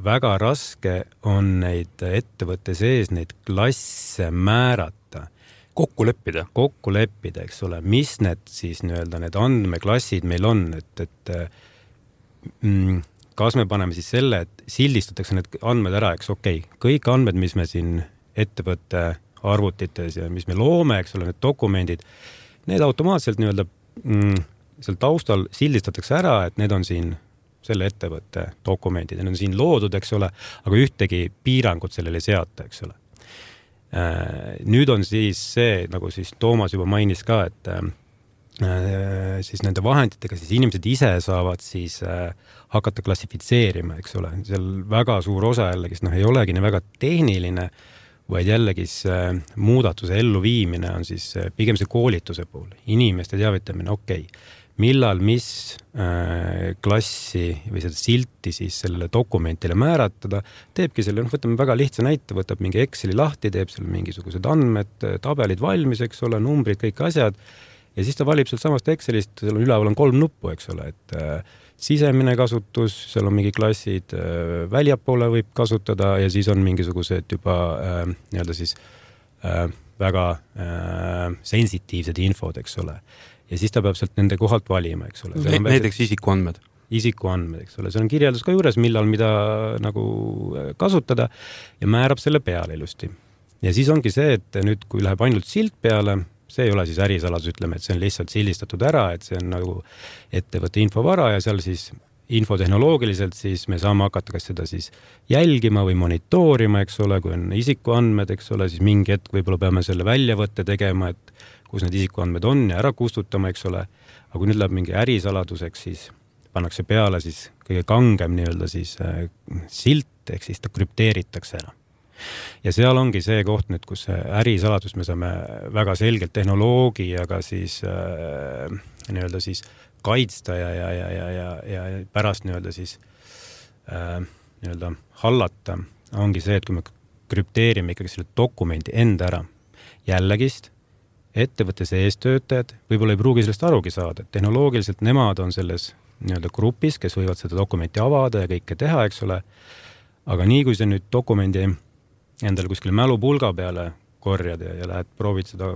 väga raske on neid ettevõtte sees neid klasse määrata. Kokku leppida, eks ole, mis need siis nii-öelda need andmeklassid meil on, et kas me paneme siis selle, et sildistatakse need andmed ära, eks kõik andmed, mis me siin ettevõtte arvutites ja mis me loome, eks ole, need dokumendid, need automaatselt nii-öelda seal taustal sildistatakse ära, et need on siin selle ettevõtte dokumendid, need on siin loodud, eks ole, aga ühtegi piirangut sellele seata, eks ole. Nüüd on siis see, nagu siis Toomas juba mainis ka, et siis nende vahenditega siis inimesed ise saavad siis hakata klassifitseerima, eks ole. Seal väga suur osa jällegis, ei olegi nii väga tehniline, vaid jällegis muudatuse elluviimine on siis pigem see koolituse pool. Inimeste teavitamine, millal mis klassi või seda silti siis sellele dokumentile määratada, teebki selle, võtame väga lihtsa näite, võtab mingi Exceli lahti, teeb seal mingisugused andmed, tabelid valmis, eks ole, numbrid, kõik asjad, ja siis ta valib sealt samast Excelist, seal on üleval on 3 nuppu, eks ole, et sisemine kasutus, seal on mingi klassid, väljapoole võib kasutada ja siis on mingisugused juba nii-öelda siis väga sensitiivsed infod, eks ole. Ja siis ta peab sealt nende kohalt valima, eks ole. Näiteks isikuandmed. isikuandmed, eks ole, seal on kirjeldus ka juures, millal mida nagu kasutada ja määrab selle peale ilusti. Ja siis ongi see, et nüüd, kui läheb ainult silt peale, see ei ole siis ärisaladus, ütleme, et see on lihtsalt sildistatud ära, et see on nagu ettevõtte infovara ja seal siis infotehnoloogiliselt siis me saame hakata kas seda siis jälgima või monitoorima, eks ole, kui on isikuandmed, eks ole, siis mingi hetk võib-olla peame selle väljavõtte tegema, et kus need isikuandmed on ja ära kustutama, eks ole. Aga kui nüüd läheb mingi ärisaladuseks, siis pannakse peale siis kõige kangem nii-öelda siis silt, ehk siis ta krüpteeritakse ära. Ja seal ongi see koht nüüd, kus ärisaladus me saame väga selgelt tehnoloogiaga siis nii-öelda siis kaitsta ja pärast nii-öelda siis nii-öelda hallata ongi see, et kui me krüpteerime ikkagi selle dokumendi enda ära jällegi ettevõtte sees töötajad võib-olla ei pruugi sellest arugi saada, et tehnoloogiliselt nemad on selles nii-öelda grupis, kes võivad seda dokumenti avada ja kõike teha, eks ole, aga nii kui see nüüd dokumendi endale kuskile mälupulga peale korjad ja lähed proovid seda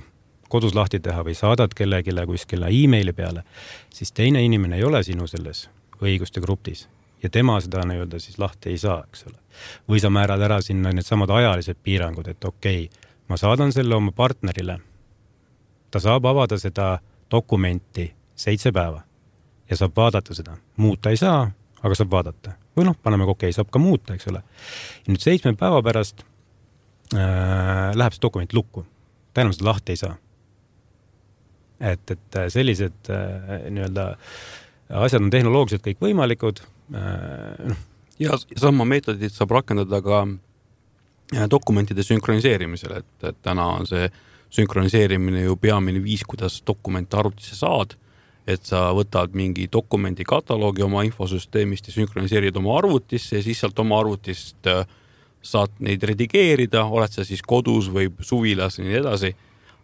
kodus lahti teha või saadad kellegile kuskile e-maili peale, siis teine inimene ei ole sinu selles õiguste grupis ja tema seda nii-öelda siis lahti ei saa, eks ole. Või sa määrad ära sinna need samad ajalised piirangud, et okei, ma saadan selle oma partnerile, ta saab avada seda dokumenti 7 päeva ja saab vaadata seda. Muuta ei saa, aga saab vaadata. Või paneme okei, saab ka muuta, eks ole. Ja nüüd 7 päeva pärast läheb see dokument lukku. Ta enam seda lahti ei saa. Et sellised nii-öelda asjad on tehnoloogiliselt kõik võimalikud. Ja sama meetodit saab rakendada ka dokumentide sünkroniseerimisel, et täna on see sünkroniseerimine ju peamine viis, kuidas dokumente arvutisse saad, et sa võtad mingi dokumendi kataloogi oma infosüsteemist ja sünkroniseerid oma arvutisse ja siis sealt oma arvutist saad neid redigeerida, oled sa siis kodus või suvilas ja nii edasi,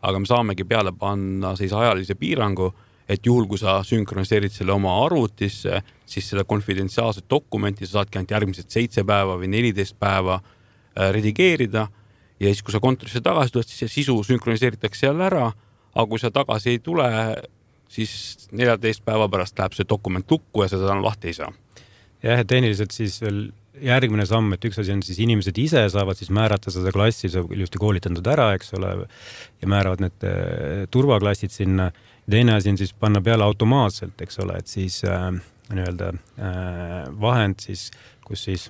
aga me saamegi peale panna siis ajalise piirangu, et juhul, kui sa sünkroniseerid selle oma arvutisse, siis seda konfidentsiaalset dokumenti sa saadki ainult järgmised 7 päeva või 14 päeva redigeerida ja siis, kui sa kontorisse tagasi tuled, siis see sisu sünkroniseeritakse jälle ära, aga kui sa tagasi ei tule, siis 14 päeva pärast läheb see dokument lukku ja seda lahti ei saa. Jah, tehniliselt siis veel järgmine samm, et üks asi on siis inimesed ise saavad siis määrata seda klassi, see on ilusti koolitanud ära, eks ole, ja määravad need turvaklassid sinna. Teine asi on siis panna peale automaatselt, eks ole, et siis nii-öelda vahend siis, kus siis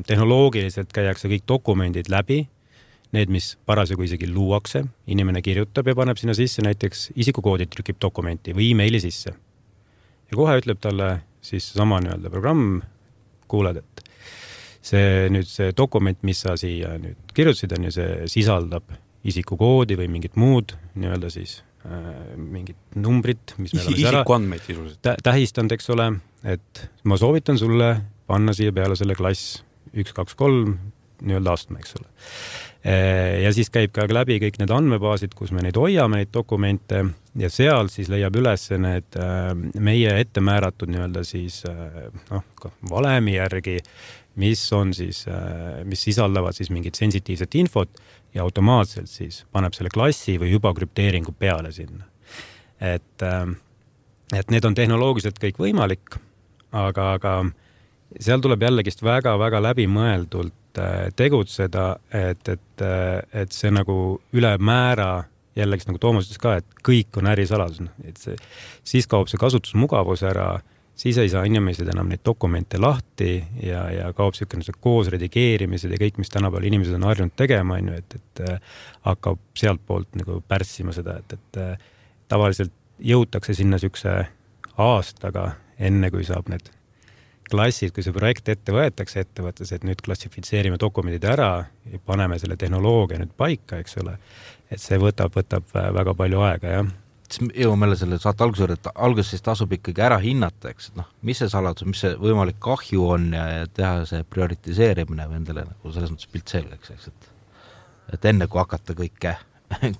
tehnoloogiliselt käiakse kõik dokumendid läbi, need, mis parasjagu isegi luuakse, inimene kirjutab ja paneb sinna sisse näiteks isikukoodid trükib dokumenti või e-maili sisse. Ja kohe ütleb talle siis sama nii-öelda programm, kuuled, et see dokument, mis sa siia nüüd kirjutasid, on ju, see sisaldab isikukoodi või mingit muud nii-öelda siis mingit numbrit, mis me oleme isikuandmeid sisuliselt tähistanud, eks ole, et ma soovitan sulle panna siia peale selle klass 1, 2, 3 nii-öelda astme, eks ole. Ja siis käib ka läbi kõik need andmebaasid, kus me neid hoiame, neid dokumente ja seal siis leiab üles need meie ette määratud nii-öelda siis valemi järgi, mis on siis, mis sisaldavad siis mingit sensitiivset infot ja automaatselt siis paneb selle klassi või juba krüpteeringu peale sinna. Et need on tehnoloogiliselt kõik võimalik, aga seal tuleb jällegist väga-väga läbimõeldult tegutseda, et see nagu üle määra jällegi nagu Toomas ütles ka, et kõik on ärisaladus. Et siis kaob see kasutusmugavus ära, siis ei saa inimesed enam neid dokumente lahti ja kaob see koos redigeerimised ja kõik, mis tänapäeval inimesed on harjunud tegema, et hakkab sealt poolt nagu pärssima seda, et tavaliselt jõutakse sinna sükse aastaga, enne kui saab need klassid, kui see projekt ette võetakse ettevõttes, et nüüd klassifitseerime dokumendid ära ja paneme selle tehnoloogia nüüd paika, eks ole, et see võtab väga palju aega, jah. Jõuame jälle selle saate alguses tasub ikkagi ära hinnata, eks, et mis see saladus, mis see võimalik kahju on ja teha see prioritiseerimine või endale nagu selles mõttes pilt selgeks, eks, et enne kui hakata kõike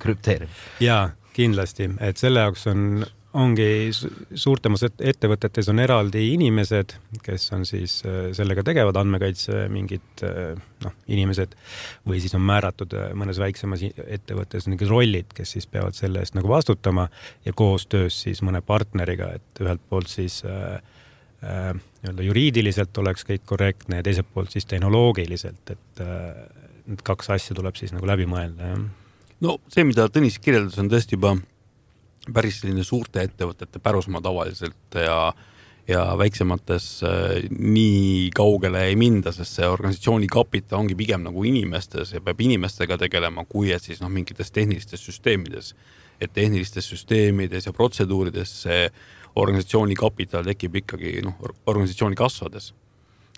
krüpteerima. Jaa, kindlasti, et selle jaoks ongi suurtemas ettevõtetes on eraldi inimesed, kes on siis sellega tegevad andmekaitse mingid inimesed või siis on määratud mõnes väiksemas ettevõttes mingid rollid, kes siis peavad selle eest nagu vastutama ja koostöös siis mõne partneriga, et ühelt poolt siis juriidiliselt oleks kõik korrektne ja teiselt poolt siis tehnoloogiliselt, et need kaks asja tuleb siis nagu läbi mõelda. Ja. No see, mida Tõnis kirjeldas, on tõesti juba päris selline suurte ettevõtete pärusmaa tavaliselt ja väiksemates nii kaugele ei minda, sest see organisatsiooni kapital ongi pigem nagu inimestes ja peab inimestega tegelema, kui et siis mingites tehnilistes süsteemides. Et tehnilistes süsteemides ja protseduurides see organisatsiooni kapital tekib ikkagi organisatsiooni kasvades.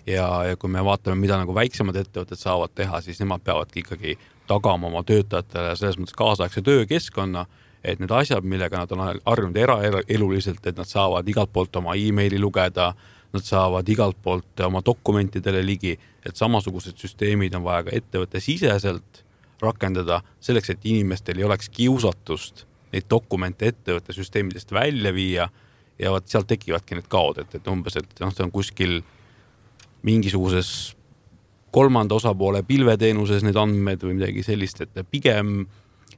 Ja kui me vaatame, mida nagu väiksemad ettevõtted saavad teha, siis nemad peavadki ikkagi tagama oma töötajatele selles mõttes kaasaegse töökeskkonna, et need asjad, millega nad on harjunud eraeluliselt, et nad saavad igalt poolt oma e-maili lugeda, nad saavad igalt poolt oma dokumentidele ligi, et samasugused süsteemid on vaja ka ettevõtte siseselt rakendada selleks, et inimestel ei oleks kiusatust neid dokumente ettevõtte süsteemidest välja viia ja sealt tekivadki need kaod, et umbes, et see on kuskil mingisuguses kolmanda osapoole pilveteenuses need andmed või midagi sellist, et pigem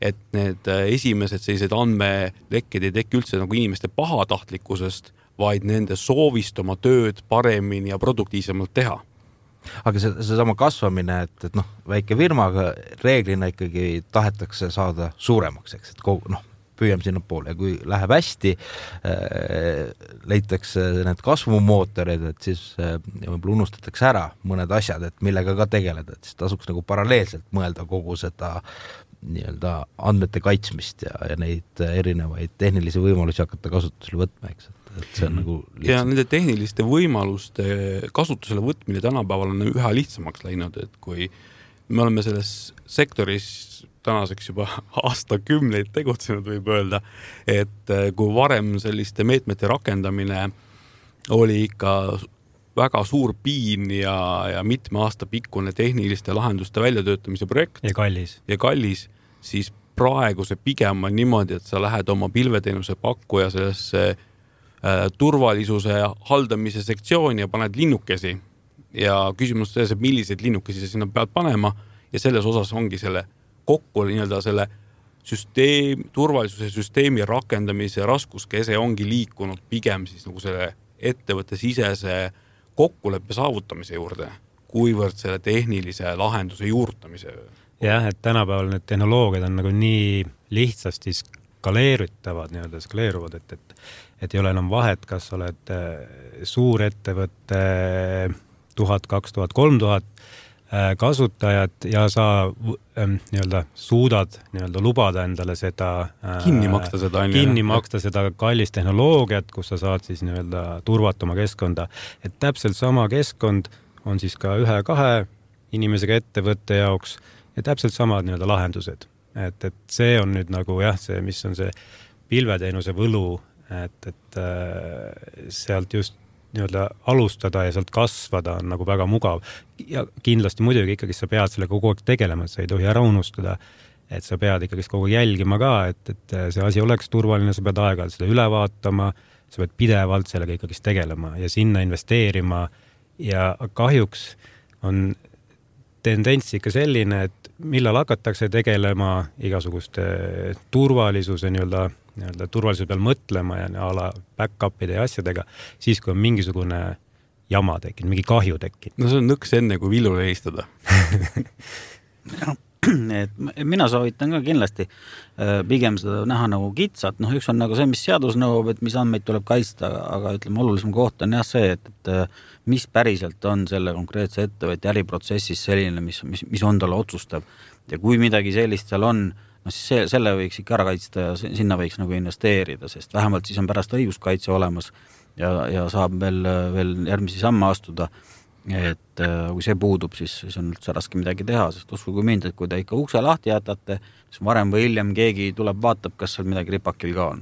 et need esimesed sellised andmelekked ei teki üldse nagu inimeste pahatahtlikkusest, vaid nende soovist oma tööd paremini ja produktiivsemalt teha. Aga see sama kasvamine, et väike firmaga reeglina ikkagi tahetakse saada suuremaks, eks, et püüame sinna poole ja kui läheb hästi, leitakse need kasvumootorid, et siis võib-olla unustatakse ära mõned asjad, et millega ka tegeleda, et siis tasuks nagu paralleelselt mõelda kogu seda nii-öelda andmete kaitsmist ja neid erinevaid tehnilisi võimalusi hakata kasutusele võtma, eks, et see on nagu lihtsam. Ja nende tehniliste võimaluste kasutusele võtmine tänapäeval on üha lihtsamaks läinud, et kui me oleme selles sektoris tänaseks juba aastakümneid tegutsenud, võib öelda, et kui varem selliste meetmete rakendamine oli ikka väga suur piin ja mitme aasta pikkune tehniliste lahenduste väljatöötamise projekt. Ja kallis, siis praegu see pigem on niimoodi, et sa lähed oma pilveteenuse pakkuja sellesse turvalisuse haldamise sektsiooni ja paned linnukesi. Ja küsimus selles, et milliseid linnukesi sa sinna pead panema ja selles osas ongi selle kokku nii-öelda selle turvalisuse süsteemi rakendamise raskuskese ongi liikunud pigem siis nagu selle ettevõtte sisese kokkuleppe saavutamise juurde, kuivõrd selle tehnilise lahenduse juurutamise. Jah, et tänapäeval need tehnoloogiad on nagu nii lihtsasti skaleeruvad, et ei ole enam vahet, kas oled suur ettevõtte 1000, 2000, 3000 kasutajad ja sa nii-öelda suudad nii-öelda lubada endale seda kinni maksta seda kallist tehnoloogiat, kus sa saad siis nii-öelda turvata oma keskkonda. Et täpselt sama keskkond on siis ka 1-2 inimesega ettevõtte jaoks ja täpselt samad nii-öelda lahendused. Et see on nüüd nagu see, mis on see pilveteenuse võlu, et sealt just nii-öelda alustada ja sealt kasvada on nagu väga mugav. Ja kindlasti muidugi ikkagi sa pead sellega kogu aeg tegelema, et sa ei tohi ära unustada, et sa pead ikkagi kogu jälgima ka, et see asi oleks turvaline, sa pead aeg-ajalt seda üle vaatama, sa pead pidevalt sellega ikkagi tegelema ja sinna investeerima ja kahjuks on tendents ikka selline, et millal hakatakse tegelema igasuguste turvalisuse nii-öelda turvalisuse peal mõtlema ja ala back-upide ja asjadega, siis kui on mingisugune jama tekkinud, mingi kahju tekkinud. No see on nõks enne, kui villule heistada. Mina soovitan ka kindlasti pigem seda näha nagu kitsat. Üks on nagu see, mis seadus nõuab, et mis andmeid tuleb kaitsta, aga ütleme, olulisem koht on see, et mis päriselt on selle konkreetse ettevõtte äriprotsessis selline, mis on talle otsustav. Ja kui midagi sellist seal on, siis selle võiks ikka ära kaitsta ja sinna võiks nagu investeerida, sest vähemalt siis on pärast õiguskaitse olemas ja saab veel järgmisi samme astuda. Et kui see puudub, siis on üldse raske midagi teha, sest uskuge mind, et kui te ikka ukse lahti jätate, siis varem või hiljem keegi tuleb vaatab, kas seal midagi ripakil ka on.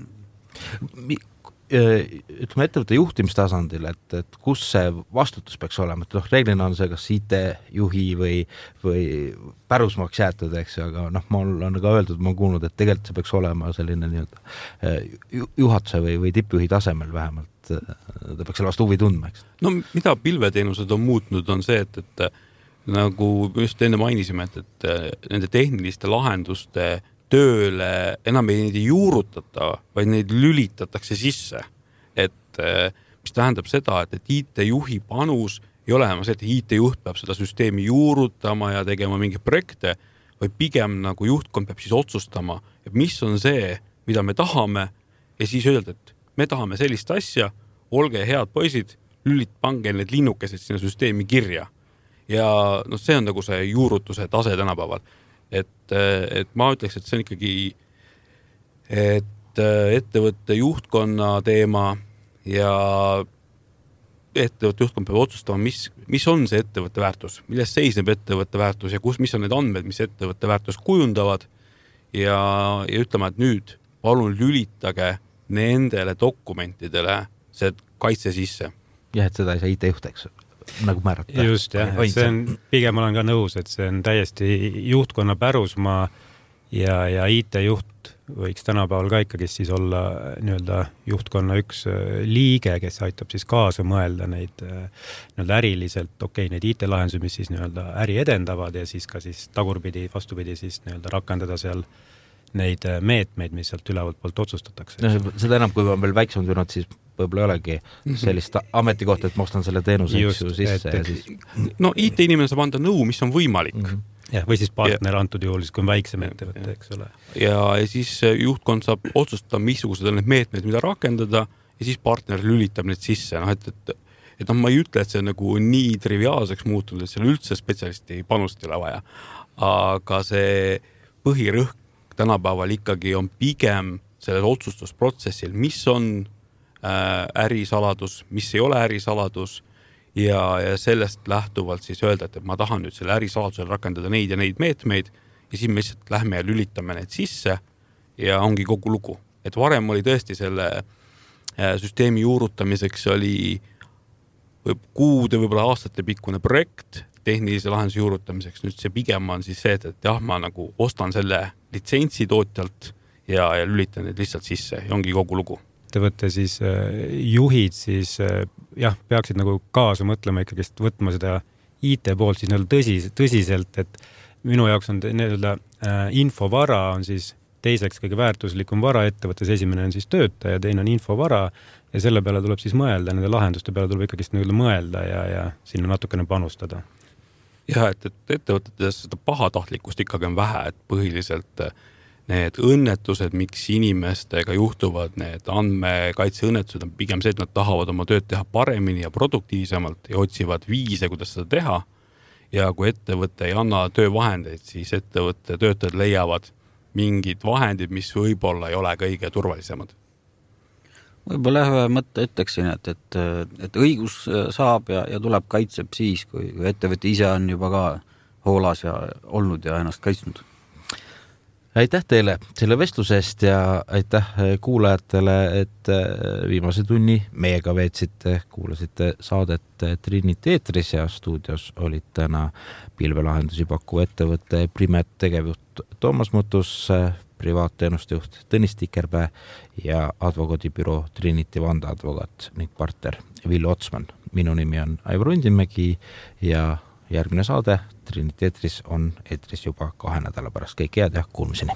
Ütleme ettevõtte juhtimistasandil, et kus see vastutus peaks olema, et reeglina on see kas IT-juhi või pärusmaaks jäetud, eks, aga mul on ka öeldud, ma olen kuulnud, et tegelikult see peaks olema selline nii-öelda juhatuse või tippjuhi tasemel vähemalt, ta peaks selle vastu huvi tundma, eks. No mida pilveteenused on muutnud, on see, et nagu just enne mainisime, et nende tehniliste lahenduste tööle enam ei juurutata, vaid neid lülitatakse sisse. Et mis tähendab seda, et IT-juhi panus ei ole enam see, et IT-juht peab seda süsteemi juurutama ja tegema mingeid projekte, vaid pigem nagu juhtkond peab siis otsustama, et mis on see, mida me tahame ja siis öelda, et me tahame sellist asja, olge head poisid, pange need linnukesed sinna süsteemi kirja. Ja no see on nagu see juurutuse tase tänapäeval. Et ma ütleks, et see on ikkagi ettevõtte juhtkonna teema ja ettevõtte juhtkond peab otsustama, mis on see ettevõtte väärtus, milles seisneb ettevõtte väärtus ja mis on need andmed, mis ettevõtte väärtus kujundavad ja ütlema, et nüüd palun lülitage nendele dokumentidele see kaitse sisse. Jah, et seda ei saa IT-juht, eks, nagu määrata. Just, jah, see on, pigem olen ka nõus, et see on täiesti juhtkonna pärusmaa ja IT-juht võiks tänapäeval ka ikkagi siis olla nii-öelda juhtkonna üks liige, kes aitab siis kaasa mõelda neid nii-öelda äriliselt, neid IT-lahendusi, mis siis nii-öelda äri edendavad ja siis ka siis tagurpidi, vastupidi siis nii-öelda rakendada seal neid meetmeid, mis sealt ülevalt poolt otsustatakse. No, seda enam, kui on veel väiksem tulnud, siis võib-olla ei olegi sellist ametikohta, et ma ostan selle teenuse sisse. No IT-inimene saab anda nõu, mis on võimalik. Ja, või siis partner antud juhul, siis kui on väiksem ettevõte, eks ole. Ja siis juhtkond saab otsustada, missugused on need meetmed, mida rakendada ja siis partner lülitab need sisse. No, et ma ei ütle, et see on nagu nii triviaalseks muutunud, et seal üldse spetsialisti panust ei ole vaja. Aga see põhirõhk tänapäeval ikkagi on pigem sellel otsustusprotsessil, mis on ärisaladus, mis ei ole ärisaladus ja sellest lähtuvalt siis öelda, et ma tahan nüüd selle ärisaladusel rakendada neid ja neid meetmeid ja siis me lihtsalt lähme ja lülitame need sisse ja ongi kogu lugu. Et varem oli tõesti selle süsteemi juurutamiseks oli kuude, võib-olla aastate pikkune projekt tehnilise lahenduse juurutamiseks. Nüüd see pigem on siis see, et jah, ma nagu ostan selle litsentsi tootjalt ja lülitan need lihtsalt sisse ja ongi kogu lugu. Ettevõtte siis juhid siis jah, peaksid nagu kaasa mõtlema ikkagist võtma seda IT poolt siis tõsiselt, et minu jaoks on nii-öelda infovara on siis teiseks kõige väärtuslikum vara ettevõttes, esimene on siis töötaja, teine on infovara ja selle peale tuleb siis mõelda, nende lahenduste peale tuleb ikkagist nii-öelda mõelda ja sinna natukene panustada. Ja, et ettevõtetes seda pahatahtlikkust ikkagi on vähe, et põhiliselt need õnnetused, miks inimestega juhtuvad need andmekaitseõnnetused on pigem see, et nad tahavad oma tööd teha paremini ja produktiivsemalt ja otsivad viise, kuidas seda teha. Ja kui ettevõte ei anna töövahendeid, siis ettevõtte töötajad leiavad mingid vahendid, mis võib-olla ei ole kõige turvalisemad. Võib-olla ühe mõtte ütleksin, et õigus saab ja tuleb kaitseb siis, kui ettevõte ise on juba ka hoolas ja olnud ja ennast kaitsnud. Aitäh teile selle vestlusest ja aitäh kuulajatele, et viimase tunni meiega veetsite, kuulasite saadet Trinity eetris ja stuudios olid täna pilvelahendusi pakkuva ettevõtte Primet tegevjuht Toomas Mutus, privaatteenuste juht Tõnis Tikerpää ja advokaadibüroo Trinity vandeadvokaat ning partner Villu Otsman. Minu nimi on Aivar Undimägi ja järgmine saade Trinity eetris on eetris juba 2 nädala pärast. Kõik head ja kuulmiseni.